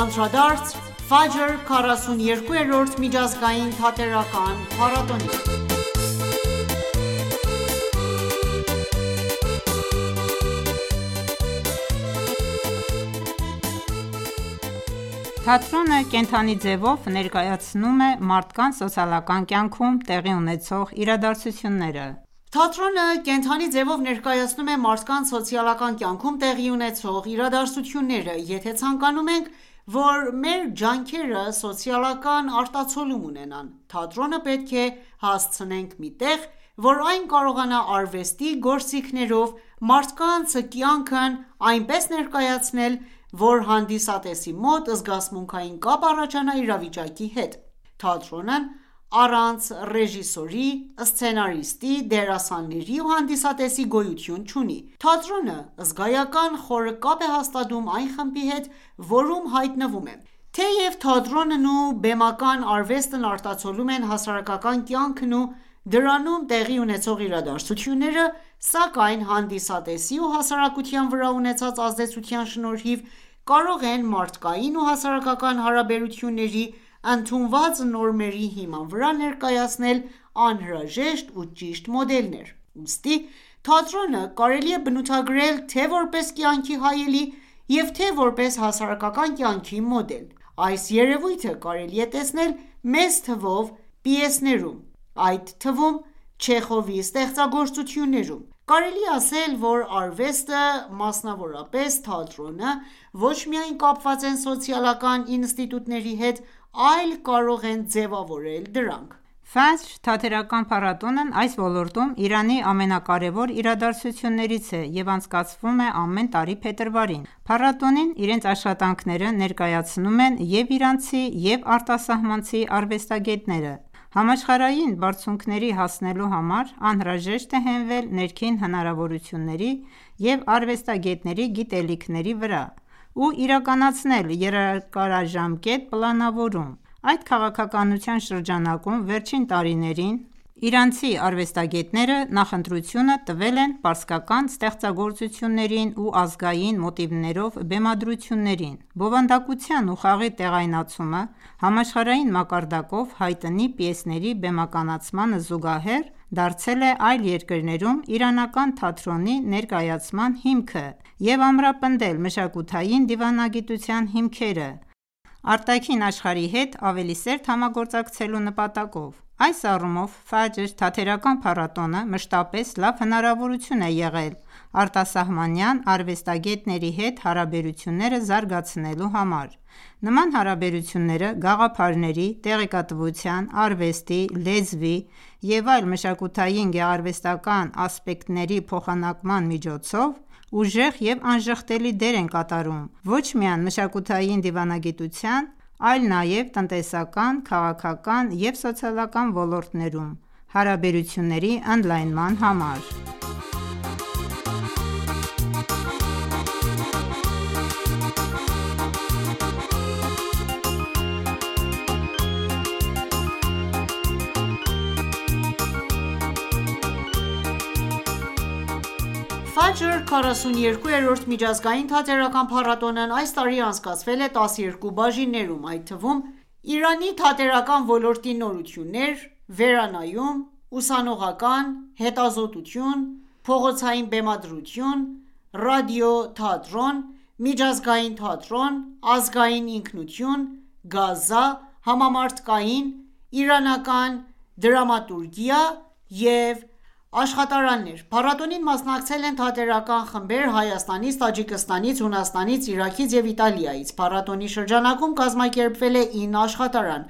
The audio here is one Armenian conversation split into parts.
Անդրադարձ Ֆաջր 42-րդ միջազգային թատերական փառատոնին։ Թատրոնը կենդանի ձևով ներկայացնում է մարդկանց սոցիալական կյանքում տեղի ունեցող իրադարձությունները։ Թատրոնը կենդանի ձևով ներկայացնում է մարդկանց սոցիալական կյանքում տեղի ունեցող իրադարձությունները։ Եթե ցանկանում ենք, որ մեր ջանքերը սոցիալական արտացոլում ունենան, թատրոնը պետք է հասցնենք մի տեղ, որ այն կարողանա արվեստի գործիքներով մարդկանց կյանքն այնպես ներկայացնել, որ հանդիսատեսի մոտ զգացմունքային կապ առաջանա իրավիճակի հետ։ Թատրոնն առանց ռեժիսորի, սցենարիստի, դերասանների ու հանդիսատեսի գոյություն չունի։ Թատրոնը զգայական խորը կապ է հաստատում այն խմբի հետ, որում հայտնվում է։ Թեև թատրոնն ու բեմական արվեստն արտացոլում են հասարակական կյանքն ու դրանում տեղի ունեցող իրադարձությունները, սակայն հանդիսատեսի ու հասարակության վրա ունեցած ազդեցության շնորհիվ կարող են մարդկային ու հասարակական հարաբերությունների ընդունված նորմերի հիման վրա ներկայացնել անհրաժեշտ ու ճիշտ մոդելներ։ Ուստի թատրոնը կարելի է բնութագրել թե որպես կյանքի հայելի և թե որպես հասարակական կյանքի մոդել։ Այս երևույթը կարելի է տեսնել մեծ թվով պիեսներում, այդ թվում Չեխովի ստեղծագործություններում։ Կարելի է ասել, որ արվեստը, մասնավորապես թատրոնը, ոչ միայն կապված են սոցիալական ինստիտուտների հետ, այլ կարող են ձևավորել դրանք։ Ֆաջր թատերական փառատոնն այս ոլորտում Իրանի ամենակարևոր իրադարձություններից է և անցկացվում է ամեն տարի փետրվարին։ Փառատոնին իրենց աշխատանքները ներկայացնում են և իրանցի, և արտասահմանցի արվեստագետները։ Համաշխարհային բարձունքների հասնելու համար անհրաժեշտ է հենվել ներքին հնարավորությունների և արվեստագետների գիտելիքների վրա ու իրականացնել երկարաժամկետ պլանավորում։ Այդ քաղաքականության շրջանակում վերջին տարիներին իրանցի արվեստագետները նախընտրությունը տվել են պարսկական ստեղծագործություններին ու ազգային մոտիվներով բեմադրություններին։ Բովանդակության ու խաղի տեղայնացումը համաշխարհային մակարդակով հայտնի պիեսների բեմականացմանը զուգահեռ դարձել է այլ երկրներում իրանական թատրոնի ներկայացման հիմքը և ամրապնդել մշակութային դիվանագիտության հիմքերը արտաքին աշխարհի հետ ավելի սերտ համագործակցելու նպատակով։ Այս առումով Ֆաջր թատերական փառատոնը մշտապես լավ հնարավորություն է եղել արտասահմանյան արվեստագետների հետ հարաբերությունները զարգացնելու համար։ Նման հարաբերությունները գաղափարների, տեղեկատվության, արվեստի, լեզվի և այլ մշակութային գեղարվեստական ասպեկտների փոխանակման միջոցով ուժեղ և անժխտելի դեր են կատարում ոչ միայն մշակութային դիվանագիտության, այլ նաև տնտեսական, քաղաքական և սոցիալական ոլորտներում հարաբերությունների ընդլայնման համար։ Ֆաջր 42-րդ միջազգային թատերական փառատոնն այս տարի անցկացվել է 12 բաժիններում, այդ թվում Իրանի թատերական ոլորտի նորություններ, վերանայում, ուսանողական, հետազոտություն, փողոցային բեմադրություն, ռադիոթատրոն, միջազգային թատրոն, ազգային ինքնություն, գազա, համամարտկային, իրանական դրամատուրգիա և աշխատարաններ։ Փառատոնին մասնակցել են թատերական խմբեր Հայաստանից, Տաջիկստանից, Հունաստանից, Իրաքից և Իտալիայից։ Փառատոնի շրջանակում կազմակերպվել է 9 աշխատարան,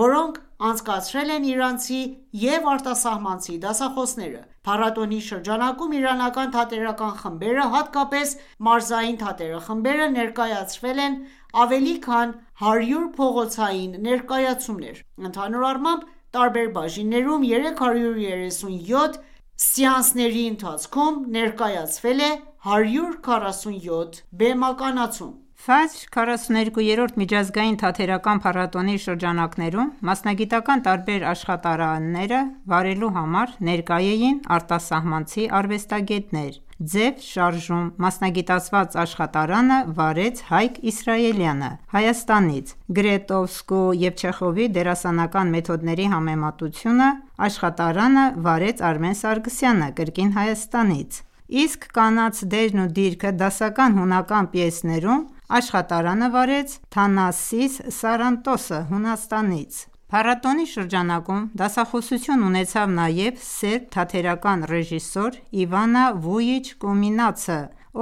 որոնք անցկացրել են իրանցի և արտասահմանցի դասախոսները։ Փառատոնի շրջանակում իրանական թատերական խմբերը, հատկապես մարզային թատերախմբերը, ներկայացրել են ավելի քան 100 փողոցային ներկայացումներ։ Ընդհանուր առմամբ, տարբեր բաժիններում 337 սեանսների ընթացքում ներկայացվել է 147 բեմականացում։ Ֆաջր 42-րդ միջազգային թատերական փառատոնի շրջանակներում մասնագիտական տարբեր աշխատարանները վարելու համար ներկա էին արտասահմանցի արվեստագետներ։ ձև շարժում մասնագիտացված աշխատարանը վարեց Հայկ Իսրայելյանը Հայաստանից, Գրետովսկու և Չեխովի դերասանական մեթոդների համեմատությունը աշխատարանը վարեց Արմեն Սարգսյանը կրկին Հայաստանից, իսկ կանանց դերն ու դիրքը դասական հունական պիեսներում աշխատարանը վարեց Թանասիս Սարանտոսը Հունաստանից։ Փառատոնի շրջանակում դասախոսություն ունեցավ նաև սերբ թատերական ռեժիսոր Իվանա Վույիչ Կոմինացը,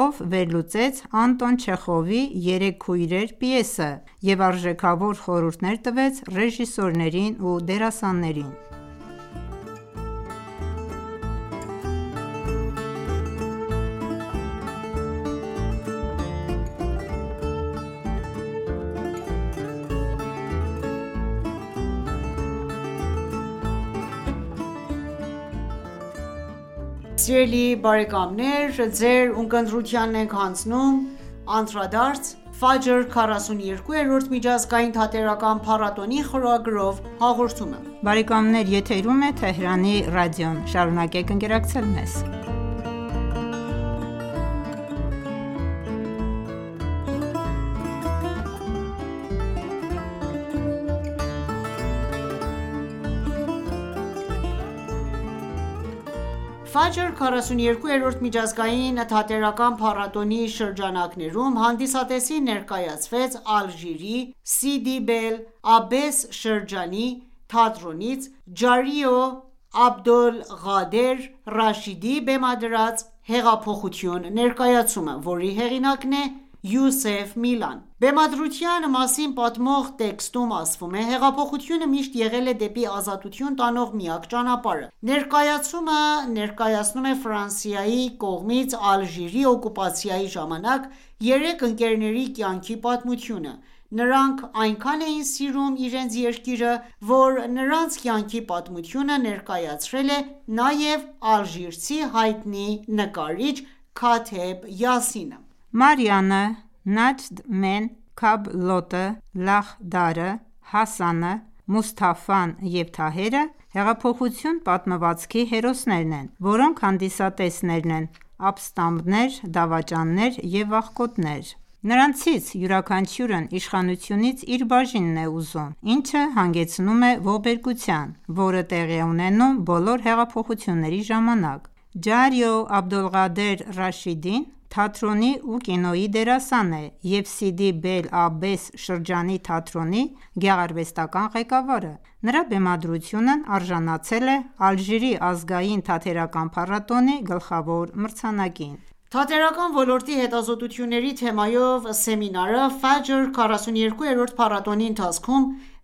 ով վերլուծեց Անտոն Չեխովի «Երեք քույրեր» պիեսը և արժեքավոր խորհուրդներ տվեց ռեժիսորներին ու դերասաններին։ Սիրելի բարեկամներ, ձեր ունկնդրությանն ենք հանձնում «Անդրադարձ Ֆաջր 42-րդ միջազգային թատերական փառատոնի» խորագրով հաղորդումը։ Բարեկամներ, եթերում է Թեհրանի ռադիոն, շարունակեք ընկերակցել մեզ։ Ֆաջր 42-րդ միջազգային թատերական փառատոնի շրջանակներում հանդիսատեսին ներկայացվեց Ալժիրի Սիդի Բել Աբբես շրջանի թատրոնից Ջարիո Աբդոլղադեր Ռաշիդի բեմադրած «Հեղափոխություն» ներկայացումը, որի հեղինակն է Յուսեֆ Միլան։ Բեմադրության մասին պատմող տեքստում ասվում է. «Հեղափոխությունը միշտ եղել է դեպի ազատություն տանող միակ ճանապարհը»։ Ներկայացումը ներկայացնում է Ֆրանսիայի կողմից Ալժիրի օկուպացիայի ժամանակ երեք ընկերների կյանքի պատմությունը։ Նրանք այնքան էին սիրում իրենց երկիրը, որ նրանց կյանքի պատմությունը ներկայացրել է նաև ալժիրցի հայտնի նկարիչ Քաթեբ Յասինը։ Մարիանը, Նաջդ Մեն Քաբլոտը, Լախդարը, Հասանը, Մուսթաֆան և Թահերը հեղափոխություն պատմվածքի հերոսներն են, որոնք հանդիսատեսներն են, ապստամբներ, դավաճաններ և աղքոտներ։ Նրանցից յուրաքանչյուրն իշխանությունից իր բաժինն է ուզում, ինչը հանգեցնում է ողբերգության, որը տեղի է ունենում բոլոր հեղափոխությունների ժամանակ։ Ջարիո Աբդոլղադեր Ռաշիդին թատրոնի ու կինոյի դերասան է և Սիդի Բել Աբբես շրջանի թատրոնի գեղարվեստական ղեկավարը։ Նրա բեմադրությունն արժանացել է Ալժիրի ազգային թատերական փառատոնի գլխավոր մրցանակին։ Թատերական ոլորտի հետազոտությունների թեմայով սեմինարը Ֆաջր 42-րդ փառատոնի ընթացքում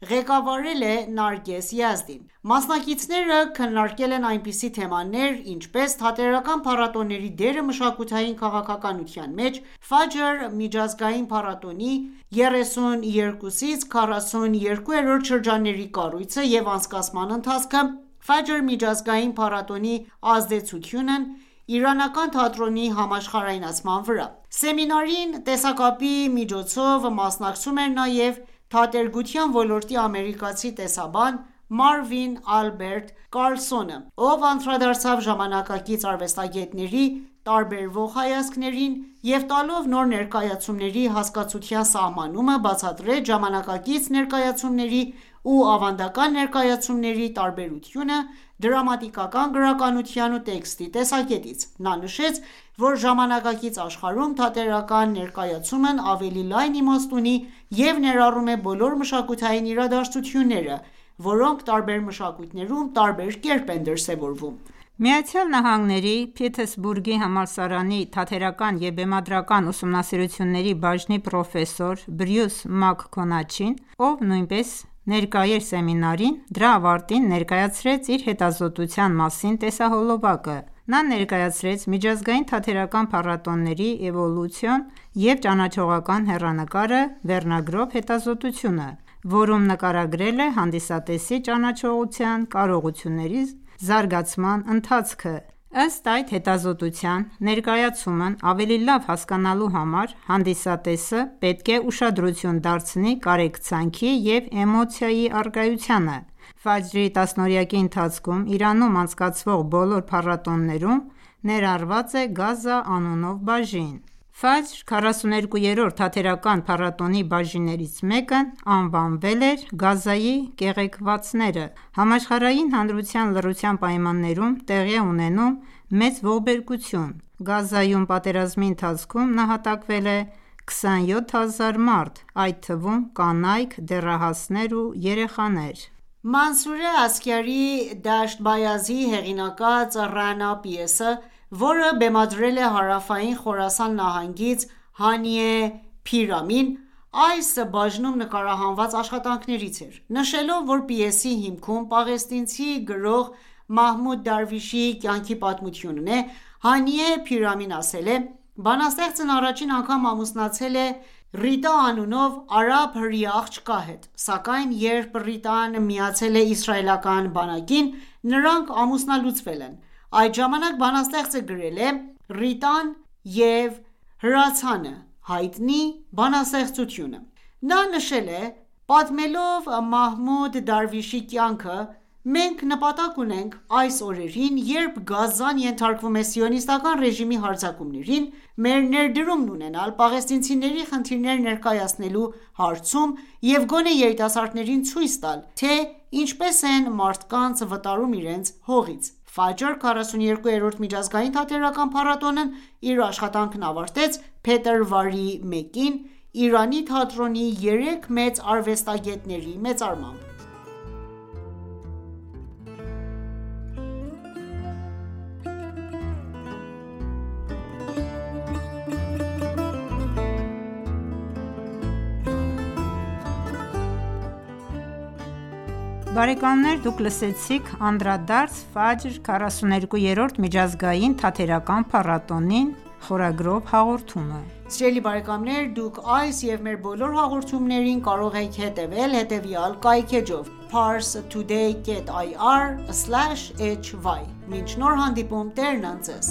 ղեկավարել է Նարգես Յազդին։ Մասնակիցները քննարկել են այնպիսի թեմաներ, ինչպես թատերական փառատոների դերը մշակութային քաղաքականության մեջ, Ֆաջր միջազգային փառատոնի 32-ից 42-րդ շրջանների կառույցը և անցկացման ընթացքը, Ֆաջր միջազգային փառատոնի ազդեցությունն իրանական թատրոնի համաշխարհայնացման վրա։ Սեմինարին տեսակապի միջոցով մասնակցում էր նաև թատերգության ոլորտի ամերիկացի տեսաբան Մարվին Ալբերտ Կարլսոնը, ով անդրադարձավ ժամանակակից արվեստագետների տարբերվող հայացքներին և տալով նոր ներկայացումների հասկացության սահմանումը, բացատրեց ժամանակակից ներկայացումների ու ավանդական ներկայացումների տարբերությունը դրամատիկական գրականության ու տեքստի տեսակետից։ Նա նշեց, որ ժամանակակից աշխարհում թատերական ներկայացումն ավելի լայն իմաստ ունի և ներառում է բոլոր մշակութային իրադարձությունները, որոնք տարբեր մշակույթներում տարբեր կերպ են դրսևորվում։ ԱՄՆ-ի Փիթերսբուրգի համալսարանի թատերական և բեմադրական ուսումնասիրությունների բաժնի պրոֆեսոր Բրյուս Մաքքոնաչին, ով նույնպես ներկա էր սեմինարին, դրա ավարտին ներկայացրեց իր հետազոտության մասին տեսահոլովակը։ Նա ներկայացրեց միջազգային թատերական փառատոների էվոլյուցիոն և ճանաչողական հեռանկարը վերնագրով հետազոտությունը, որում նկարագրել է հանդիսատեսի ճանաչողության կարողությունների զարգացման ընթացքը։ Ըստ այդ հետազոտության, ներկայացումն ավելի լավ հասկանալու համար հանդիսատեսը պետք է ուշադրություն դարձնի կարեկցանքի և էմոցիայի առկայությանը։ Ֆաջրի տասնօրյակի ընթացքում Իրանում անցկացվող բոլոր փառատոներում ներառված է Գազա անունով բաժին։ Ֆաջր 42-րդ թատերական փառատոնի բաժիններից մեկն անվանվել էր «Գազայի կեղեքվածները»։ Համաշխարհային հանրության լռության պայմաններում տեղի է ունենում մեծ ողբերգություն։ Գազայում պատերազմի ընթացքում նահատակվել է 27,000 մարդ, այդ թվում կանայք, դեռահասներ ու երեխաներ։ Մանսուրե Ասքարի «Դաշտ Բայազի» հեղինակած «Ռանա» պիեսը, որը բեմադրել է հարավային Խորասան նահանգից Հանիե Փիրամին, այս բաժնում նկարահանված աշխատանքներից էր, նշելով, որ պիեսի հիմքում պաղեստինցի գրող Մահմուդ Դարվիշի կյանքի պատմությունն է, Հանիե Փիրամին ասել է. «Բանաստեղծն առաջին անգամ ամուսնացել է Ռիտա անունով արաբ հրեա աղջկա հետ, սակայն երբ Ռիտան միացել է իսրայելական բանակին, նրանք ամուսնալուծվել են»։ Այդ ժամանակ բանաստեղծը գրել է «Ռիտան և հրացանը» հայտնի բանաստեղծությունը։ Նա նշել է. «Պատմելով Մահմուդ Դարվիշի կյանքը, մենք նպատակ ունենք այս օրերին, երբ Գազան ենթարկվում է սիոնիստական ռեժիմի հարձակումներին, մեր ներդրումն ունենալ պաղեստինցիների խնդիրները ներկայացնելու հարցում և գոնե երիտասարդներին ցույց տալ, թե ինչպես են մարդկանց վտարում իրենց հողից»։ Ֆաջր 42-րդ միջազգային թատերական փառատոնն իր աշխատանքն ավարտեց փետրվարի 1-ին Իրանի թատրոնի 3 մեծ արվեստագետների մեծարմամբ։ Բարեկամներ դուք լսեցիք անդրադարձ Ֆաջր 42-րդ միջազգային թատերական փառատոնին խորագրով հաղորդումը։ Սիրելի բարեկամներ, դուք այս և մեր բոլոր հաղորդումներին կարող եք հետևել հետևյալ կայքէջով՝ parstoday.ir/hy: Մինչ նոր հանդիպում, Տերն ընդ Ձեզ։